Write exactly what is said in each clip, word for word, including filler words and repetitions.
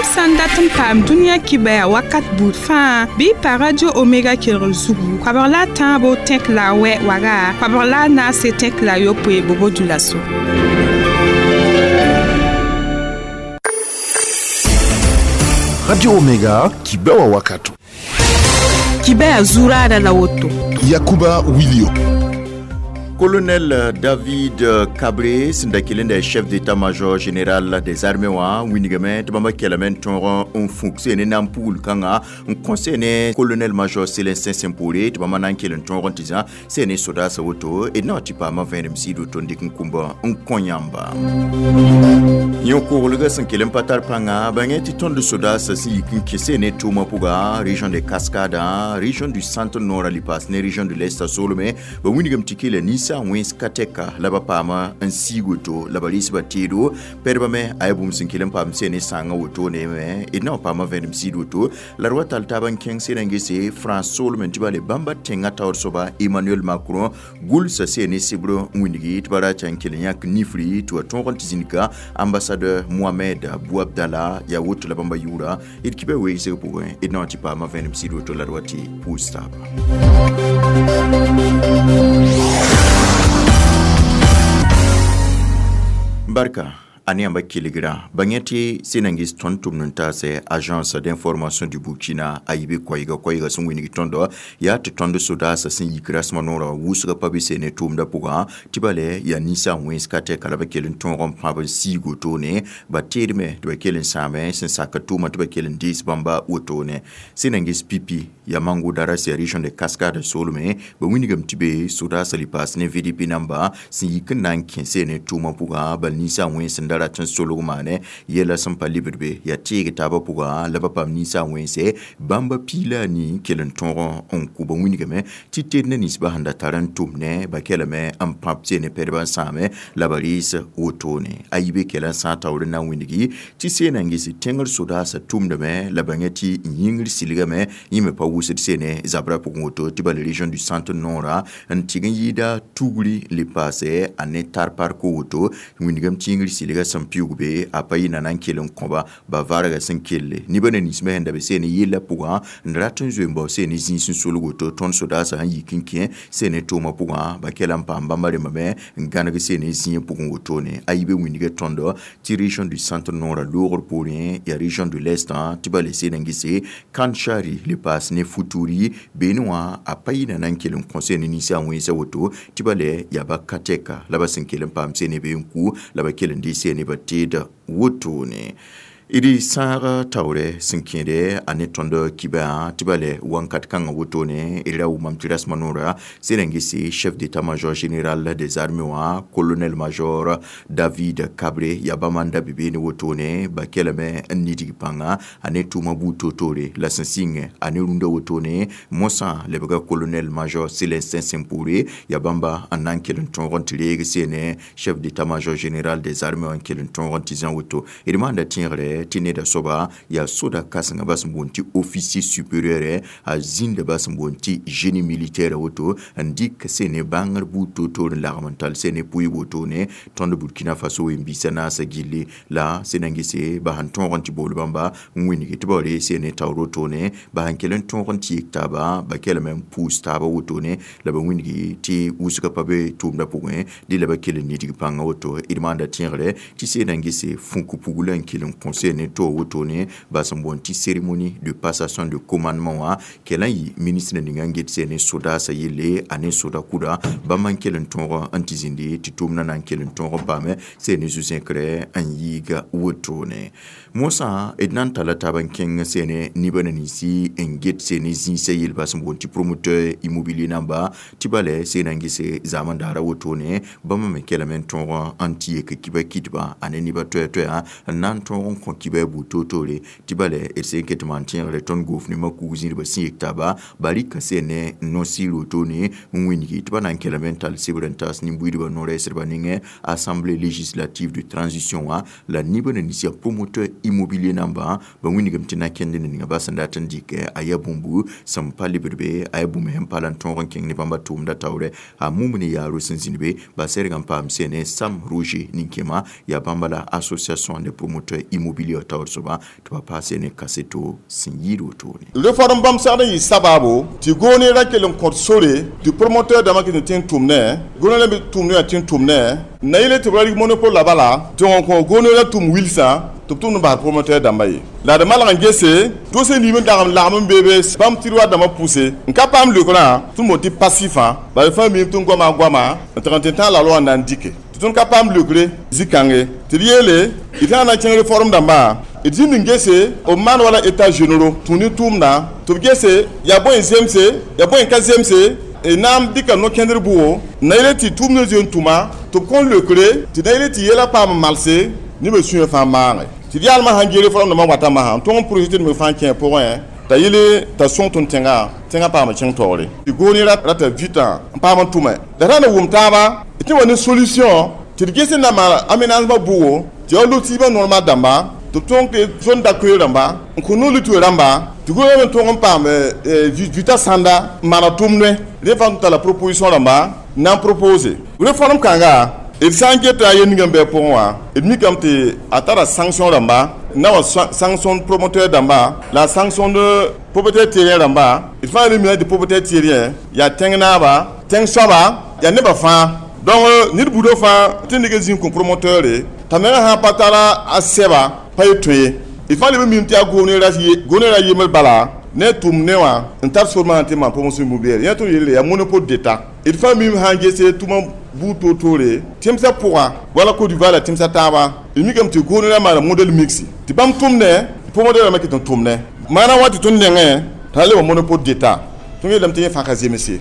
Yãmb sã n dat n paam dũniyã kibaya wakat buud fãa bɩ y pa Radio Omega kelgr zugu koabg la a tãabo tẽk la a wɛ waga koabg la a naase tẽk la a yopoe bobo dulaso. Radio Omega kibewa wakato. Kibaya zurada la woto. Yakuba Wilio. Colonel David Kabré, sẽn chef d'état-major général des armées wã wilgame tɩ bãmba kelame n tõog n fuk ne na n pugl kãnga n kõ ne colonel-major Célestin Simporé tɩ bãmba na n kell n tõog n tɩ zã sẽn ne sodaasã woto d na wa tɩ paama vẽenem sɩd woto n dɩk n kũmba n kõ yãmba yõ-koglgã sẽn kell n pa tar pãnga bãngẽ tɩ tõnd sodaasã sẽn yik n kẽ sẽn ne tʋʋmã pʋga région de Cascade, région du centre nord a paas ne région de l'est soolme ba wilgame tɩ kela ninsa wẽns ka tɛka la ba paama n siig woto la ba rɩs ba teedo pɛdbã me a yaa bũmb sẽn kell n paam sẽn ne sãangã wotone me d na wa paama vẽenem sɩd woto la d wa tall taab n kẽng sẽn na n gese France soolme tɩ ba le bãmba tẽngã taoor soaba Emmanuel Macron gʋlsa sẽn ne sebr n wilgi tɩ ba ra tɩ n kell n yãk nifri tɩ wa tõog n tɩ zĩnika ambassadeur Mohamed Bouabdallah yaa woto la bãmba yʋʋra d kibã weegsg pʋgẽ d na wa tɩ paama vẽenem sɩd woto la d wa tɩ pʋʋs taaba. Barka ane yãmba kelgra bãng tɩ sẽn na n ges tõnd tʋmd n taase agence d'information du Burkina a yibe koɛɛga koɛɛga sẽn wilg tõndo yaa tɩ tõnd sodaasã sẽn yik rasmã noorã wʋsgã pa be sẽn ne tʋʋmdã pʋgã tɩ ba le yaa ninsã wẽns ka tɛka la ba kell n tõog n pãb n siig wotone ba teedme tɩ ba kell n sãame sẽn sak tʋʋmã tɩ ba kell n dees bãmba wotone sẽn na n ges pipi yaa mango daras yaa région de Cascade soolme ba wilgame tɩ be sodaasã le paas ne V D P namba sẽn yik n na n kẽ sẽn ne tʋʋmã pʋgã bal ninsã wẽns n da rat n solg maane yɛla sẽn pa lebd be yaa teeg taabã pʋgã la ba paam ninsã wẽnse bãmba piila a nii kell n tõog n kʋ ba wilgame tɩ ted ne ninsbã sẽn da tar n tʋm ne ba kelame n pãb sẽn ne pɛdbã n sãame la ba rɩɩs wotone a yibe kɛla n sã taoor n na n wilgi tɩ sẽn na n ges tẽngr sodaasã tʋmdame la bãngã tɩ yĩngr silgame yẽ me pa wʋsd sẽn ne zabrã pʋgẽ woto tɩ bala région du centre nord n tɩg n yɩɩda tugri le paase a ne tar parko woto wilgame tɩ yĩngr silga sẽn piʋʋg be a pa yɩ na na n kell n kõba ba varga sẽn kelle nibã na ninsmã sẽn da be sẽn ne yella pʋgã n rat n zoe n bao sẽn ne zĩis n solg woto tõnd sodaasã sẽn yik n kẽ sẽn ne tʋʋmã pʋgã ba kɛla n paam bãmba rẽmbame n gãneg sẽn ne zĩig pʋgẽ wotone a yibe wilga tõndo tɩ région du centre nord loogr poorẽ yaa région de l'est tɩ ba le sẽn n gese Kanchari le paas ne Futuri beene wã a pa yɩ na na n kell n kõ sẽn ne ninsã wẽnsa woto tɩ ba le yaa ba ka tɛka la ba sẽn kell n paam sẽn ne be n ku la ba kell n dɩ sẽn ne ba teeda wotone d sãaga taoorɛ sẽn kẽede a ne tõnd kibã tɩ ba le wãnkat kãngã wotone d ra wʋmame tɩ rasmã noora sẽn na n gese chef d'état-major général des armées wã colonel major David Kabré yaa bãmba n da be beene wotone ba kelame n nidg pãnga a ne tʋʋmã buud toor-toore la sẽn sɩngẽ a ne rũndã wotone mosã lebga colonel major Célestin Simporé yaa bãmba n na n kell n tõog n tɩ reeg sene chef d'état-major général des armées wã n kell n tõog n tɩ zã woto d maanda tẽegre tɩ neda soaba yaa soda kãsengã bas n boond tɩ officier supérieur a zĩnda bas n boond tɩ génie militaire woto n dɩk sẽn ne bãngr buud toor-toor n lagem n tall sẽn ne pʋɩɩb wotone tõnd Burkina Faso wẽn-biisã naasã gilli la sẽn na n gese ba sẽn tõog n tɩ bool bãmba n wilgi tɩ ba wa reeg sẽn ne taoor wotone ba sẽn kell n tõog n tɩ yek taaba ba kelame n pʋʋs taaba wotone la ba wilgi tɩ wʋsgã pa be tʋʋmdã pʋgẽ dɩ la ba kell n nidg pãngã woto d maanda tẽegre tɩ sẽn na n gese fũk pugla n kell n kõ sẽn ne to wotone ba sẽn boond tɩ cérémonie de passation de commandement wã kell n yɩ ministre ninga n get sẽn ne sodaasã yelle a ne soda kʋda bãmb n kell n tõog n tɩ zĩndi tɩ tʋʋmdã na n kell n tõog n paame sẽn ne zu-zẽkre n yiiga wotone mosã d na n talla taab n kẽng sẽn ne nibã na ninsi n get sẽn ne zĩisã yelba sẽn boond tɩ promoteur immobilier namba tɩ ba le sẽn na n gese zaamã daara wotone bãmba me kelame n tõog n tɩ yek kiba kɩtba a ne nibã toɛ-toɛa n na n tõog n kõ kiba buud toor-toore tɩ ba le d sẽn ket maan tẽegre tõnd goofnema kug zĩrdbã sẽn yek taaba ba rɩka sẽn ne no-sɩɩr wotone n wilgi tɩ ba na n kelame n tall sebr n taas nin-buiidbã no-rɛɛsdbã nengẽ assemblée législative de transition wã la nibã na nins yaa promoteur immobilier namba ba wilgame tɩ na kẽnd ninga ba sẽn dat n dɩk a yaa bũmbu sẽn pa lebd be a yaa bũmb sẽn pa la n tõog n kẽng ne bãmba tʋʋmdã taoorɛ a mum ne yaaro sẽn zĩnd be ba sɛrg n paam sẽn ne Sam Roger nin-kẽma yaa bãmba la association des promoteurs immobiliers Wilio taoor soaba tɩ ba paase ne kaseto sẽn yɩɩd wotone. Réforme bãmb segd n yɩ sabaabo tɩ goone ra kell n kõt sore tɩ promoteur dãmbã kɩt n tẽ n tʋmnẽ goone me tʋmd wã tẽ n tʋmnẽ na yele tɩ b ra rɩk monopole la bala tɩ n kõ goone ra tʋm wilsã tɩ b tʋmd n basd promoteur dãmba ye la d malg n gese doosã niim n dag n lagm n beebe bãmb tiroir dãmbã pʋse n ka paam leokrã tɩ m tɩ passif bala fãa miime tɩ n goama goama n tɩg n tɩ tã la loi n na n dike tɩ tõnd ka paam leokre zĩ-kãnge tɩ d yeele d tã na n kẽng réforme dãmbã d zĩnd n gese b maan wala état généraux tũ ne tʋʋmdã tɩ b gese yaa bõe n zemse yaa bõe n ka zemse na n dɩka no-kẽndr bʋgo na yele tɩ tʋʋmdã zoe n tʋma tɩ b kõn leokre tɩ na yele tɩ yɛla paam malse nebã sũyã fãa maage tɩ d yaalmã sãn gee réforme dãmbã wata masã tõng n projet me fãa kẽ pʋgẽ t'a yele t'a sõng tõnd tẽnga tẽngã paam kẽng taoore tɩ goone rata vita n paam n tʋme la ra na wʋm taaba tɩ wa ne solution tɩ d ges n na maan aménagement bʋgo tɩ ya lotissement normal dãmba tɩ b tõng tɩ zone d'accueil rãmba n kõ no-litoe rãmba tɩ gouvernement tõng n paam vita sãnda n maana tʋmdẽ rẽ fãa tɩ tara proposition rãmba na n propose réforme kãnga d sã n geta yel ning n bɩ pʋgẽ wã d mikame tɩ a tara sanction rãmba na wa sanction promoteur dãmba la sanction de propriétaire terrien rãmba d fãa re mina tɩ propriétaire terrien yaa tẽng naaba tẽng soaba yaa nebã fãa donc ned buudã fãa tɩ neg n zĩig kõ promoteur t'a menga sã pa tara a sɛba pa ye tõe ye d fãa leb n mim tɩ yaa goone ra yembr bala ne tʋm ne wã n tar sor maana tɩ maan promotion immobilière yẽ tõnd yelle yaa monopole d'état d fãa mim sã n gese tʋma buud toor-toore tẽmsã pʋga wala Côte d'Ivoire la tẽmsã taaba d mikame tɩ goone ra maana modèle mixte tɩ bãmb tʋmdẽ promoteur rãmbã ket n tʋmdẽ maana wa tɩ tõnd nengẽ t'a le wa monopole d'état tõnd yeelame tɩ yẽ fãa ka zemse.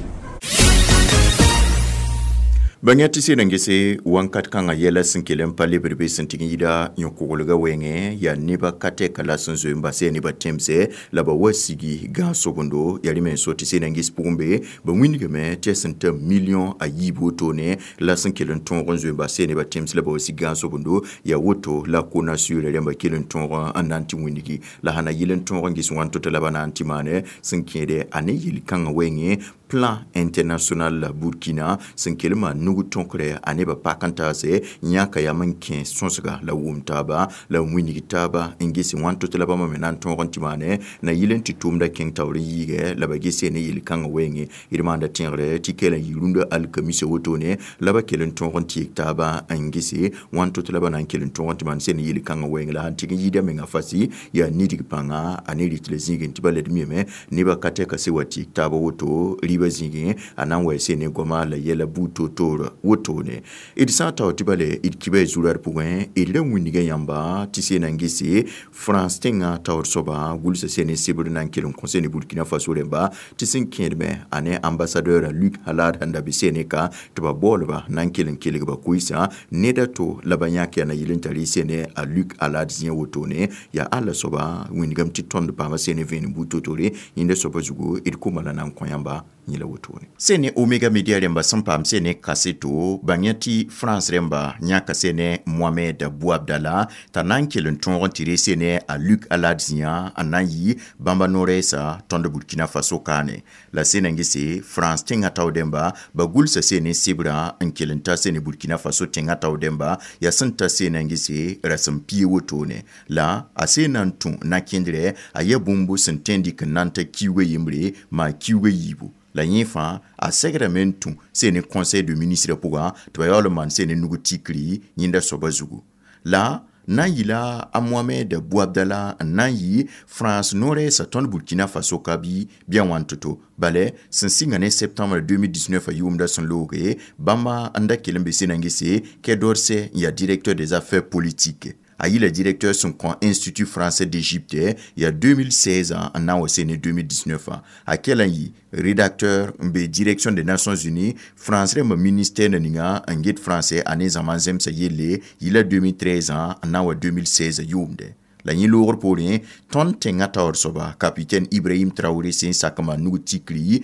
Bãng tɩ sɩd n gese wãnkat kãngã yɛla sẽn kell n pa lebr be sẽn tɩg n yida yõ-koglgã wɛɛngẽ yaa neba ka tɛka la sẽn zoe n bas yaa nebã tẽmsɛ la ba wa sigi gãag-sobendo yaa rẽ me n so tɩ sɩd n ges pʋgẽ be ba wĩndgame tɩ yaa sẽn ta million a yiib wotone la sẽn kell n tõog n zoe n bas yaa nebã tẽms la ba wa sig gãag-sobendo yaa woto la CONASUR rãmba kell n tõog n na n tɩ wĩndgi la sã na yɩl n tõog n ges wãn to-to la ba na n tɩ maane sẽn kẽede a ne yel-kãngã wɛɛngẽ Plan International Burkina sẽn kell maan nug tõkre a nebã pak n taase yãka yam n kẽ sõsga la wʋm taaba la n wilg taaba n ges wãn to-to la bãmba me na n tõog n tɩ maane na yɩl n tɩ tʋʋmda kẽng taoor n yiigɛ la ba ges ne yel-kãngã wɛɛngẽ d maanda tẽegre tɩ kell n yɩ rũndã alkamisa wotone la ba kell n tõog n tɩ yek taaba n gese wãn to-to la ba na n kell n tõog n tɩ maan sẽn ne yel-kãngã wɛɛngẽ la sãn tɩg n yɩɩda menga fasi yaa nidg pãnga a ne rɩt la zĩigẽ tɩ ba led miyame nebã ka tɛka se wa tɩ yek taaba woto rɩbã zĩigẽ a na n wa sene goama la yɛla buud toor-toor wotone d sã n tao tɩ bale d kiba zurad pʋgẽ d ra wĩndga yãmba tɩ sena n gese France tẽngã taoor soaba gʋlsa sene sebr na n kell n kõ sene Burkina Faso rẽmba tɩ sẽn kẽedme a ne ambassadeur Luc Hallade sẽn da be sene ka tɩ ba baoolba na n kell n kelg ba koɩsã ned a to la ba yãk yaa na yɩl n tar y sene a Luc Hallade zĩ wotone yaa alla soaba wĩndgame tɩ tõnd paama sene vẽenem buud to-toore yẽnda soaba zugu d koma la na n kõ yãmba yẽla wotone sene Omega Media rẽmba sẽn paam sene kaseto bãng yã tɩ France rẽmba yãka sene Mohamed Bouabdallah t'a na n kell n tõog n tɩ re sene a Luc Hallade zĩã n na n yɩ bãmba no-rɛɛsa tõnd Burkina Faso kaane la sena n gese France tẽngã tao dẽmba ba gʋlsa sene sebrã n kell n ta sene Burkina Faso tẽngã tao dẽmba yaa sẽn ta sena n gese rasem pie wotone la a sena n tũ na-kẽndrɛ a yaa bũmb sẽn tõe n dɩk n na n ta kiuugã yembre maa kiuugã yiibu la yẽ fãa a segrame n tũ sene conseil de ministre pʋgã tɩ ba yaool n maan sene nug tikri yẽnda soaba zugu la na n yɩla a Mohamed Bouabdallah n na n yɩ France no-rɛɛsã tõnd Burkina Faso ka bɩ bɩ a wãn to-to bala sẽn sɩnga ne septembre deux mille dix-neuf a yʋʋmda sẽn looge bãmba n da kell n be sena n gese Quai d'Orsay n yaa directeur des affaires politiques a yɩla directeur sẽn kõ Institut français d'Égypte ya deux mille seize n na n wa sene deux mille dix-neuf a kell n yɩ rédacteur n be direction des Nations Unies France rẽmba ministère na ninga n get français a ne zãma n zemsa yelle yɩla deux mille treize n na n wa deux mille seize yʋʋmde la yẽ loogr poorẽ tõnd tẽngã taoor soaba capitaine Ibrahim Traoré sẽn sak n maan nug tikri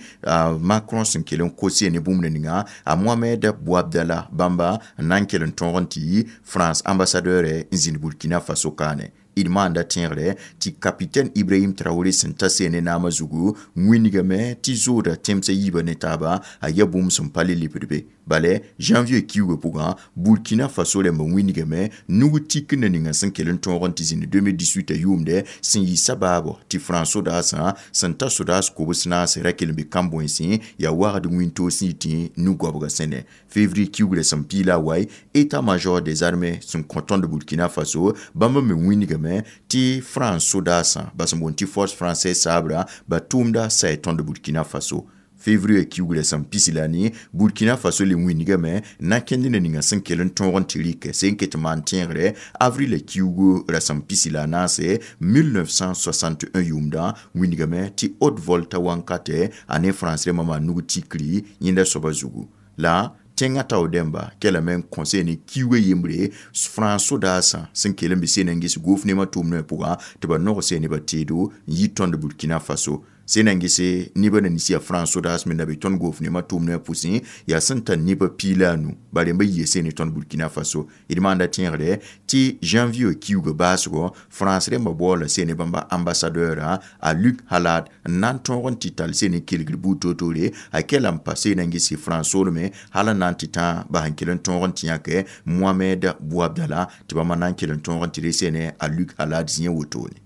Macron sẽn kell n kose ne bũmb ninga a Mohamed Bouabdallah bãmba n na n kell n tõog n tɩ France ambassadeur n zĩnd Burkina Faso kaane. D maanda tẽegre tɩ capitaine Ibrahim Traoré sẽn ta seene naamã zugu wĩnigame tɩ zooda tẽmsã yiibã ne taaba a yaa bũmb sẽn pa le lebd be bale janvier kiuugã pʋgã Burkina Faso rãmbã wĩnigame nug tik na ninga sẽn kell n tõog n tɩ zĩnd deux mille dix-huit yʋʋmdɛ sẽn yɩ sabaabo tɩ France sodaasã sẽn ta sodaas kobs naase ra kell n be kãn-bõensẽ yaa wagd wĩntoog sẽn yitẽ nu-goabgã sẽne. Février kiugrã sẽn piila a wae, état-major des armées sẽn kõ tõnd Burkina Faso bãmb me wĩnigame tɩ France sodaasã bas n boond tɩ force française saabra ba tʋʋmda say tõnd Burkina Faso. Février kiugrã sẽn pisi la ne Burkina Faso le wĩnigame na kẽnd na ninga sẽn kell n tõog n tɩ rɩk sẽn ket n maan tẽegre avril kiugu ra sẽn pisi la a naase mille neuf cent soixante et un yʋʋmdã wĩnigame tɩ Haute Volta wankatɛ a ne France rãmbã maan nug tikri yẽnda soabã zugu la tẽngã tao dẽmba kelame n kõ ne kiuugã yembre France sodaasã sẽn kell n be seen n ges gouvernement tʋʋmdã pʋgã tɩ ba nog se nebã teedo n yi tõnd Burkina Faso sẽn na n gese nebã na nins yaa France sodaas me na be tõnd gouvernement tʋʋmdã pʋsẽ yaa sẽn tar nebã piila a nu ba rẽmba yia seen ne tõnd Burkina Faso. D maanda tẽegre tɩ janvier kiuugã baasgɔ France rẽmbã baoola seen bãmba ambassadeur a Luc Hallade n na n tõog n tɩ tall seen n kelgr buud toor-toore a kela n pa seen n gese France soolme hal n na n tɩ tã ba sẽn kell n tõog n tɩ yãke Mohamed Bouabdallah tɩ bãmba na n kell n tõog n tɩ re seene a Luc Hallade zĩig wotone.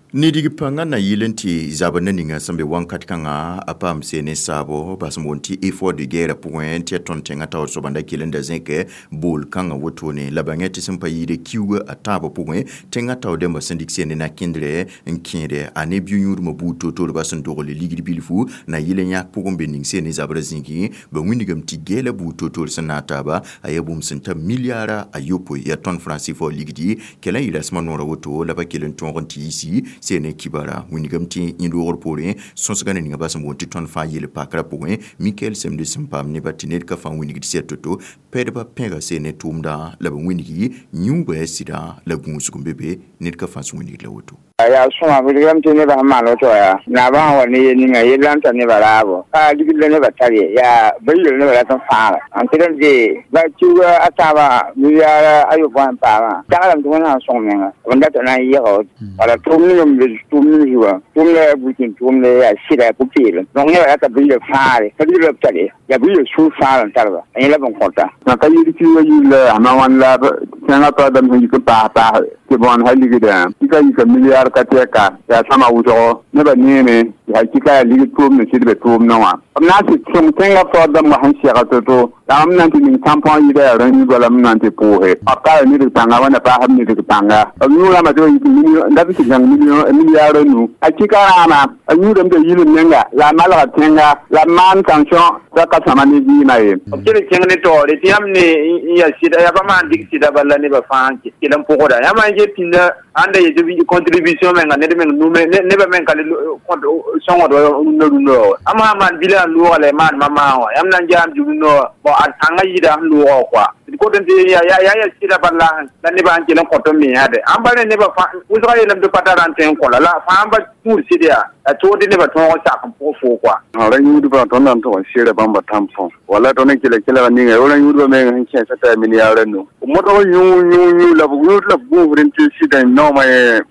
Nidig pãngã na yɩl n tɩ zabr na ninga sẽn be wãnkat kãngã a paam seene saabo bas n boond tɩ effort de guerre pʋgẽ tɩ ya tõnd tẽngã taoor soaba n da kell n da zẽke bool kãngã wotone la bãngẽ tɩ sẽn pa yɩɩde kiuugã a tãabã pʋgẽ tẽngã tao dẽmbã sẽn dɩk seene na kẽndrɛ n kẽede a ne bi-yũudmã buud toor-toor ba sẽn dogle ligd bilfu na yɩl n yãk pʋgẽ be ning seene zabrã zĩigẽ ba wĩnigame tɩ geela buud toor-toor sẽn na taaba a yaa bũmb sẽn ta milliara a yopoe yaa tõnd franc C F A ligdi kɛla n yɩ rasmã noorã woto la ba kell n tõog n tɩ yisi seene kibara wĩnigame tɩ yẽd roogr poorẽ sõsgã na ninga bas n boond tɩ tõnd fãa yel pakrã pʋgẽ Mikael Semde sẽn paam nebã tɩ ned ka fãa wĩnigd sɛ to-to pɛdbã pẽga seene tʋʋmdã la b wĩnigi yũubã yaa sɩda la gũusg n be be ned ka fãa sẽn wĩnigd la woto. Yaa sõma wilgame tɩ nebã sẽn maan woto yaa naabã sẽn wa ne yel ninga yella n tar nebã raabo ka ligd la nebã tar ye yaa ba yel nebã rat n fãaga n tɩ d de ba kiuga a tãabã milliard a yopoẽ n paamã taglame tɩ wẽnnaam sõng menga b n data na n yɩga woto wala tʋʋm ning n be tʋʋm ning zuga tʋʋmda yaa bukin tʋʋmda yaa sɩda pʋ-peelem donc nebã rata bɩ yel fãagre ka ligd la b tar ye yaa bɩ yel sũur fãagr n tarba a yẽla bõn kõta. Ka yɩl kiuga yilla sãma wãn la tẽngã toa dãmb sẽn yik n paas paas tɩ bõan sa ligdã tɩ ka yika milliard ka tɛka yaa sõma wʋsgo nebã neeme yaa kɩka yaa ligd tʋʋmd n sɩd be tʋʋmdã wã b na n tɩ sõng tẽngã taoor dãmbã sẽn segl to-to la m na n tɩ ning tãmpõ yɩda yaa rã-yũudba la m na n tɩ pʋʋse b ka nidg pãnga wãnna paasb nidg pãnga b yũurãmba tɩ ba yik dat n tɩ zãng milliard a nu a kɩka rãama a yũudame t'a yil menga la a malga tẽnga la b maan tension t'a ka sõma ne vɩɩmã ye. B kell n kẽng ne taoore tɩ yãmb ne n yaa sɩda yaa pa maan dɩk sɩda bala nebã fãa n kell n pʋgda yãmb n get pĩnda ãnda yetɩ contribution menga ned meng nume nebã meng ka le sõngd wa rũndã rũndã wa ãmb sã n maan bilã n loogã la y maan mamaã wã yãmb na n jaam rũndã wã bon a tãngã yɩɩda sẽn loogã wã koa d kot n tɩ yaa yaa sɩda bala la nebã sẽn kell n kõt n me yãade ãmb pa rẽ nebã wʋsgã yeelame tɩ pa tara n tõe n kõ la la fãa n ba tũud sɩd yaa a tood nebã tõog n sak n pʋg foo koa. Ra yũudbã tõnd na n tʋg n seera bãmba tãmpõ wala tõnd n kela kelg ninga ra yũudbã meng sẽn kẽesa t'a milliard a nu modg yũ yũ yũ la b yũud la b gũusd n tɩ sɩda noomã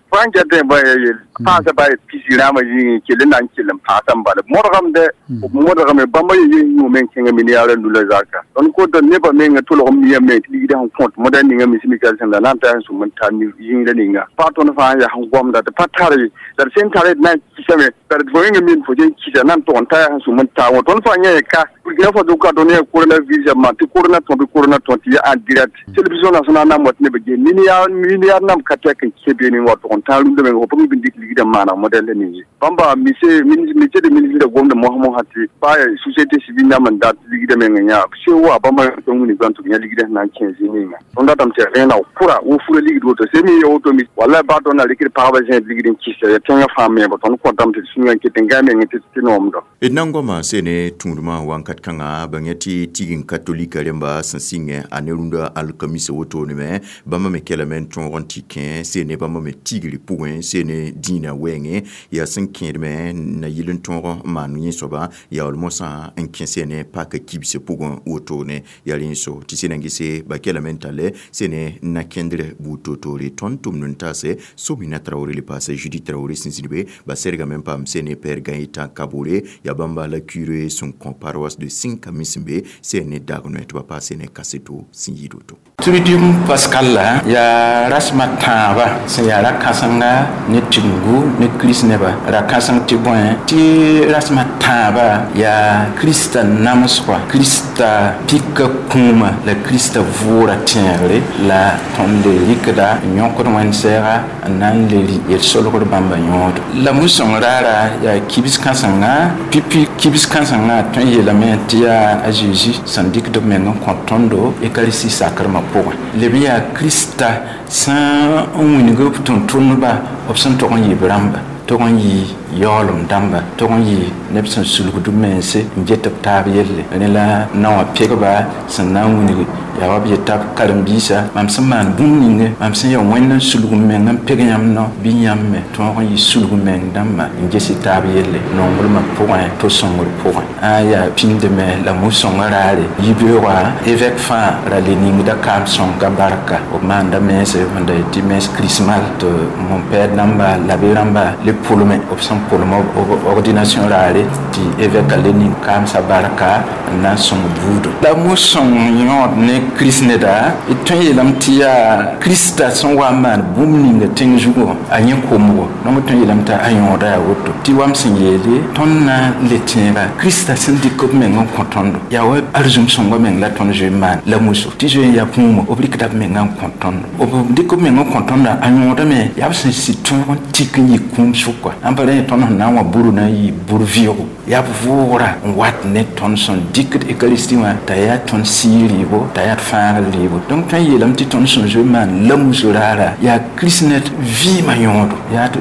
fãa n ket ba yel paasa ba pisi rãambã yĩngẽ kell n na n kell n paasa n bala modgame dɛ modgame bãmba ye yen yũ meng kẽnga milliard a nu la zaka tõnd kota nebã menga tʋlg n miyã me tɩ ligdã sẽn kõt moda ninga mismikal sẽn la na n taa sẽn sũm n tar yĩngrã ninga pa tõnd fãa n yaa sẽn gomda tɩ pa tar ye la d sẽn tare d na n kisame la d fo yẽnga min fo sẽn kisa na n tʋg n ta yaa sẽn sũm n taa wã tõnd fãa yã ka Burkina Faso ka tõnd yaa coronavirus ma tɩ corona tõ bɩ corona tõ tɩ yaa en direct télévision nationale na n wat nebã ge milliard milliard nam ka tɛk n kẽ beene n wa tʋg n tãag rũndã menga fo pʋgẽ bɩ n dɩk ligdã n maana modèle ning ye bãmba mise ministre de ministre gomda mosã mosã tɩ pa société civile nam n dat ligdã meng yã se wa bãmba tõnd wĩni gbãn tɩ b yã ligdã sẽn na n kẽ zĩ ninga tõnd datame tɩ rẽna kʋra wo fura ligd woto se me ya woto mi wala ba tõnd na rɩkd pagba zẽed ligd n kɩsa ya tẽngã fãa me tõnd kõtame tɩ sũyã n ket n gaa meng tɩ tɩ noomda. D na n goama seene tũudmã wãnkat kãngã bãngẽ tɩ tign katolika rẽmba sẽn sɩngẽ a ne rũndã alkamisa wotone me bãmba me kelame n tõog n tɩ kẽ seene bãmba me tigr. tigri pʋgẽ sene dĩinã wɛɛngẽ yaa sẽn kẽedme na yɩl n tõog n maan yẽ soaba yaool mosã n kẽ sene pak kibsã pʋgẽ wotone yaa rẽ so tɩ sẽna gese ba kelame n talle sene na-kẽndr buud toor-toore tõnd tʋmd n taase Somina Traoré le paase Judith Traoré sẽn zĩnd be ba sergame n paam sene père Gaëtan Kabore yaa bãmba la curé sẽn kõ paroisse de Sinkami sẽn be sene dag noɛ tɩ ba paas sene kaseto sẽn yɩɩd woto. Triduum pascal la yaa rasmã tãabã sẽn yaa ra-kãsenga ne Tigengu ne Kirist nebã ra-kãseng tɩ bõe tɩ rasmã tãabã yaa Krista namsgã Krista pika kũumã la Krista vʋʋra tẽegre la tõnd le rɩkda n yõkd wẽnd-sɛɛga n na n le rɩ yel-solgr bãmba yõodo la mu-sõng raara yaa kibs kãsenga pipi kibs kãsengã tõe n yeelame tɩ yaa a Zeezi sẽn dɩkd b meng n kõ tõndo Eucharistie sakremã pʋgẽ leb n yaa Krista sẽn n wilg b tʋm-tʋmdba b sẽn tog n yɩ b rãmba tog n yɩ yaoolem dãmba tog n yɩ neb sẽn sulgd b mense n get b taab yelle rẽ la naowã pegba sẽn na n wilg yaa wa b yeta b karen-biisã mam sẽn maan bũmb ninge mam sẽn yaa Wẽnd n sulg m meng n peg yãmb nao bɩ yãmb me tõog n yɩ sulg meng dãmba n ges y taab yelle nonglmã pʋgẽ to sõngr pʋgẽ ã yaa pĩndame la mu-sõngã raare yibeoogã évêque fãa ra le ningda kaam sõnka barka b maanda mense sẽn da tɩ mens christmal tɩ mon père dãmba l'abbé rãmba le pʋlme b sẽn pʋlem b ordination raare tɩ évêque le ning kaamsã barka n na n sõng buudo la mu-sõng yõod ne Kirist neda d tõe n yeelame tɩ yaa Krista sẽn wa n maan bũmb ninga tẽng zugu wã a yẽ komgo donc tõe n yeelame t'a a yõoda yaa woto tɩ wa m sẽn yeele tõnd na n le tẽega Krista sẽn dɩk b meng n kõ tõndo yaa wa arzũm sõngã meng la tõnd zoe n maan la muso tɩ zoe n yaa kũumã b rɩkda b menga n kõ tõndo b dɩk b meng n kõ tõndã a yõodame yaa b sẽn sɩd tõog n tik n yɩ kũum sʋka ãn pa rẽ tõnd sẽn na n wã buru na n yɩ bur vɩʋgo yaa b vʋʋgra n wat ne tõnd sẽn dɩkd Eucharistie wã t'a yaa tõnd sɩɩg rɩɩbo t'a yaa d fãagr rɩɩbo donc tõe n yeelame tɩ tõnd sẽn zoe n maan la muso raara yaa Kirist ned vɩɩmã yõodo yaa d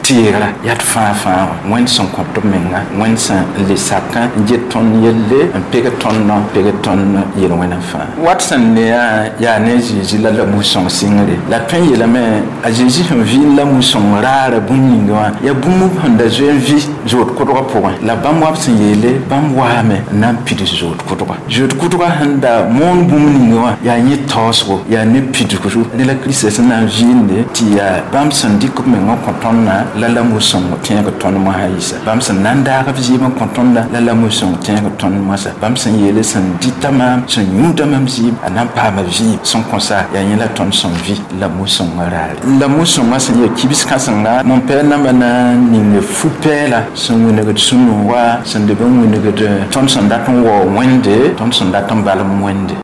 teegra yaa d fãa fãa wã Wẽnd sẽn kõ tɩ b menga Wẽnd sẽn le sakã n get tõnd yelle n peg tõnd nao peg tõnd yel-wẽnã fãa wat sẽn neã yaa ne Zeezi la la mu-sõng sɩngre la tõe n yeelame a Zeezi sẽn vɩɩm la mu-sõng raara bũmb ninga wã yaa bũmb sẽn da zoe n vɩ zood kʋdgã pʋgẽ la bãmb wa b sẽn yeele bãmb waame n na n pids zood kʋdga zood kʋdga sẽn da moon bũmb ninga wã yaa yẽ taoosgo yaa ne pidsgo ne la Kirista sẽn na n vɩɩmde tɩ yaa bãmb sẽn dɩk b meng n kõ tõndã la la mu-sõng tẽeg tõnd mosã yɩsa bãmb sẽn na n daag b zɩɩm n kõ tõnda la la mu-sõng tẽeg tõnd moasã bãmb sẽn yeele sẽn dɩta maam sẽn yũuda mam zɩɩm a na n paama vɩɩm sẽn kõ sa yaa yẽ la tõnd sẽn vɩ la mu-sõngã raare la mu-sõngã sẽn yaa kibs kãsenga mon pɛɛl namba na n ning fu-pɛɛla sẽn wilgd sũ-nooga sẽn leb n wilgd tõnd sẽn dat n wao Wẽnde tõnd sẽn dat n balem Wẽnde.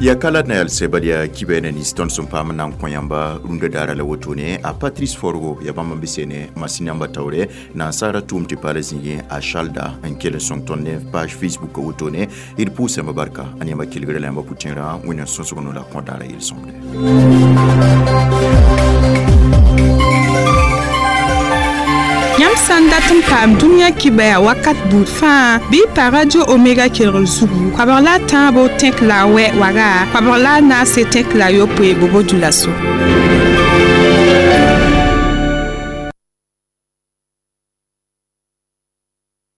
Ya kala na yal sebal ya kibene ni ston sum pam nan ko yamba runda dara la wotone a Patrice Forgo ya bamba bisene masina yamba tawre na sara tum ti pale zingi a Shalda en kele son tonne page Facebook wotone il pousse ma barka ani ma kilgre la yamba putinra wina sonsogono la ko dara il somde. Yãmb sã n dat n paam dũniyã kibaya wakat buud fãa bɩ pa Radio Omega kelgr zugu koabg la a tãabo tẽk la a wɛ waga koabg la a naase tẽk la a yopoe bobo dula-so.